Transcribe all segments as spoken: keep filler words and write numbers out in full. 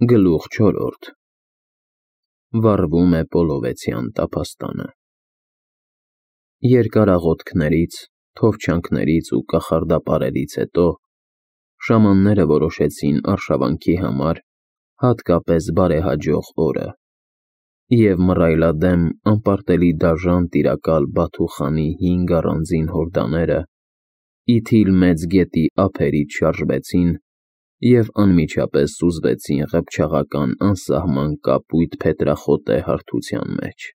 Գլուխ չորրորդ Վառվում է Պոլովեցյան տափաստանը։ Երկար աղոթքներից, թովչանքներից ու կախարդապարերից հետո շամանները որոշեցին արշավանքի համար հատկապես բարեհաջող օրը, և մռայլադեմ անպարտելի դաժան տիրակալ Բաթու խանի հինգ առանձին հորդաները Իթիլ մեծ գետի ափերից շարժվեցին և անմիջապես սուզվեցին ղփչաղական անսահման կապույտ փետրախոտե հարթության մեջ։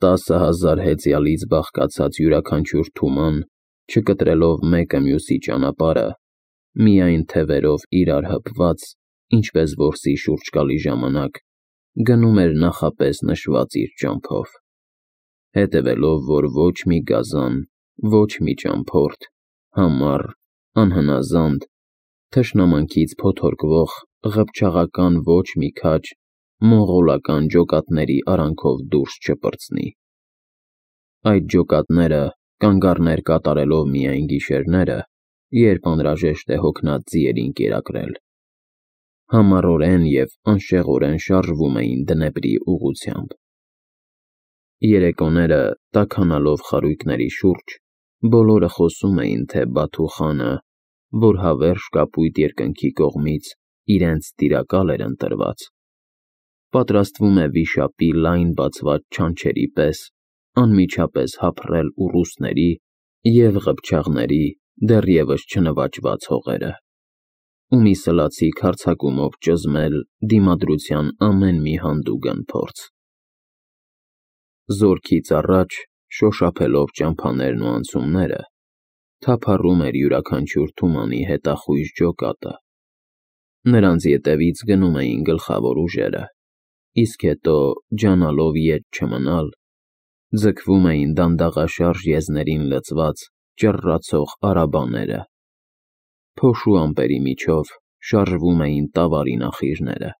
Տասը հազար հեծյալից բաղկացած յուրաքանչյուր թուման, չկտրելով մեկը մյուսի ճանապարհը, միայն թևերով իրար հպված, ինչպես որսի շուրջ գալի ժամանակ, գնում էր նախապես նշված իր ճամփով, հետևելով, որ ոչ մի գազան, ոչ մի ճամփորդ, համառ, անհնազանդ, թշնամանքից փոթորկվող, ղփչաղական ոչ մի քաջ մոնղոլական ջոկատների արանքով դուրս չպրծնի։ Այդ ջոկատները, կանգառներ կատարելով միայն գիշերները, երբ անհրաժեշտ է հոգնած ձիերին կերակրել, համառորեն և անշեղորեն շարժվում էին Դնեպրի ուղղությամբ։ Երեկոները, տաքանալով խարույկների շուրջ, բոլորը խոսում էին, թե Բաթու խանը, որ հավերժ կապույտ երկնքի կողմից իրենց տիրակալ էր ընտրված, պատրաստվում է վիշապի լայն բացված չանչերի պես անմիջապես հափռել ուռուցքների և ղփչաղների դեռևս չնվաճված հողերը, ու մի սլացիկ հարձակումով ճզմել դիմադրության ամեն մի հանդուգն փորձ։ Զորքից առաջ, շոշափելով ճամփաներն ու անցումները, թափառում էր յուրաքանչյուր թումանի հետախույզ ջոկատը, նրանց ետևից գնում էին գլխավոր ուժերը, իսկ հետո, ջանալով ետ չմնալ, ձգվում էին դանդաղաշարժ եզներին լցված ճռռացող արաբաները, փոշու ամպերի միջով շարժվում էին տավարի նախիրները,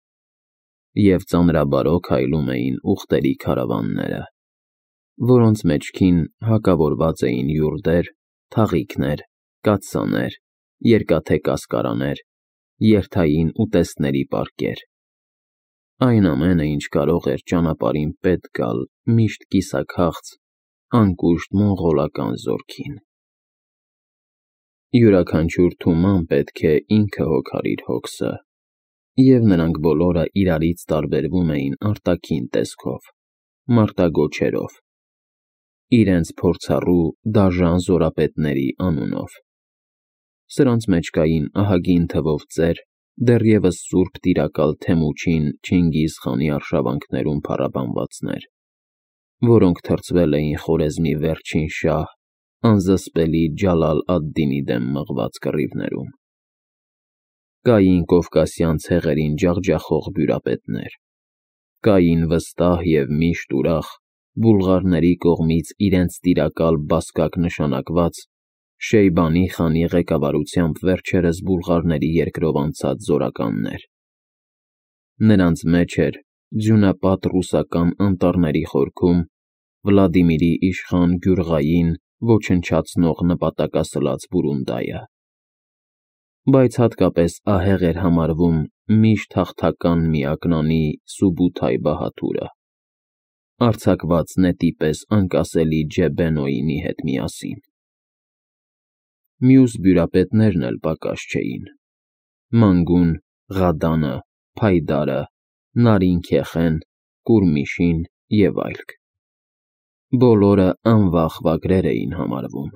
և ծանրաբարո քայլում էին ուղտերի քարավանները, որոնց մեջքին հակավորված էին յուրդեր, թաղիքներ, կաթսաներ, երկաթե կասկարաներ, երթային ուտեստների պարկեր, այն ամենը, ինչ կարող էր ճանապարհին պետք գալ միշտ կիսաքաղց, անկուշտ մոնղոլական զորքին։ Յուրաքանչյուր թուման պետք է ինքը հոգար իր հոգսը, և նրանք բոլորը իրարից տարբերվում էին արտաքին տեսքով, մարտագոչերով, իրենց փորձառու, դաժան զորապետների անունով։ Սրանց մեջ կային ահագին թվով ծեր, դեռևս սուրբ տիրակալ Թեմուչին Չինգիզ խանի արշավանքներում փառաբանվածներ, որոնք թռցվել էին Խորեզմի վերջին շահ անզսպելի Ջալալ ադ֊Դինի դեմ մղված կռիվներում։ Կային կովկասյան ցեղերին ջախջախող բյուրապետներ, կային վստահ և միշտ ուրախ, բուլղարների կողմից իրենց տիրակալ բասկակ նշանակված Շեյբանի խանի ղեկավարությամբ վերջերս բուլղարների երկրով անցած զորականներ։ Նրանց մեջ էր ձյունապատ ռուսական անտառների խորքում Վլադիմիրի իշխան Գյուրղային ոչնչացնող նպատակասլաց բուրունդայը, բայց հատկապես ահեղ էր համարվում միշտ հաղթական միակնանի Սուբութայ բահադուրը, արձակված նետի պես անկասելի Ջեբեն-Օյինի հետ միասին։ Մյուս բյուրապետներն էլ պակաս չէին. Մանգուն, Ղադանը, Փայդարը, Նարին֊Քեխեն, Կուրմիշին և այլք։ Բոլորը անվախ վագրեր էին համարվում։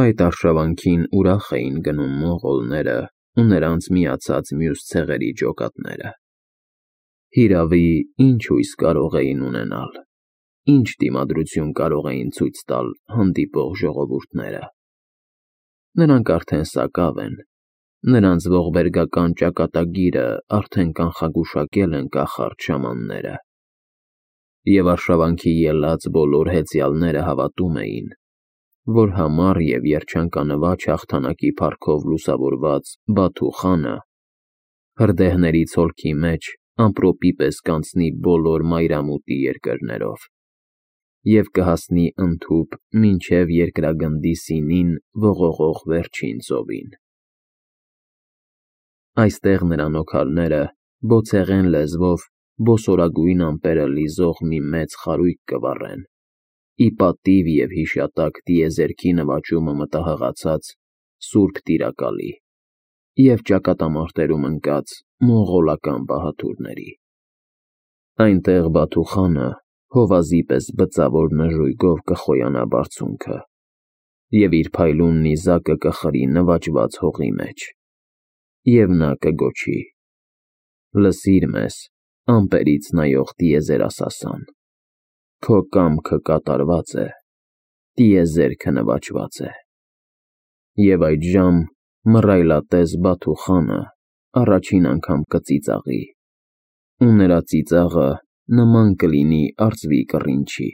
Այդ արշավանքին ուրախ էին գնում մոնղոլները ու նրանց միացած մյուս ցեղերի ջոկատները։ Հիրավի, ինչ հույս կարող էին ունենալ, ինչ դիմադրություն կարող էին ցույց տալ հանդիպող ժողովուրդները։ Նրանք արդեն սակավ են, նրանց ողբերգական ճակատագիրը արդեն կանխագուշակել են կախարդ շամանները, և արշավանքի ելած բոլոր հեծյալները հավատում էին, որ համառ և երջանկանվաճ հաղթանակի փառքով լուսավորված Բաթու խանը հրդեհների ցոլքի մեջ ամպրոպի պես կանցնի բոլոր մայրամուտի երկրներով և կհասնի ընդհուպ մինչև երկրագնդի սինին ողողող վերջին ծովին։ Այստեղ նրան օգալները բոցեղեն լեզվով բոսորագույն ամպերը լիզող մի մեծ խարույկ կվառեն, ի պատիվ և հիշատակ տիեզերքի նվաճումը մտահղացած սուրբ տիրակալի և ճակատամարտերում ընկած մոնղոլական բահադուրների։ Այնտեղ Բաթուխանը հովազի պես բծավոր նժույգով կխոյանա բարձունքը և իր փայլուն նիզակը կխրի նվաճված հողի մեջ, և նա կգոչի. «Լսիր մեզ, ամպերից նայող տիեզերասասան, քո կամքը կատարված է, տիեզերքը նվաճված է»։ Եվ այդժամ մռայլատես Բաթուխանը առաջին անգամ կծիծաղի, ու նրա ծիծաղը նման կլինի արծվի կռինչի։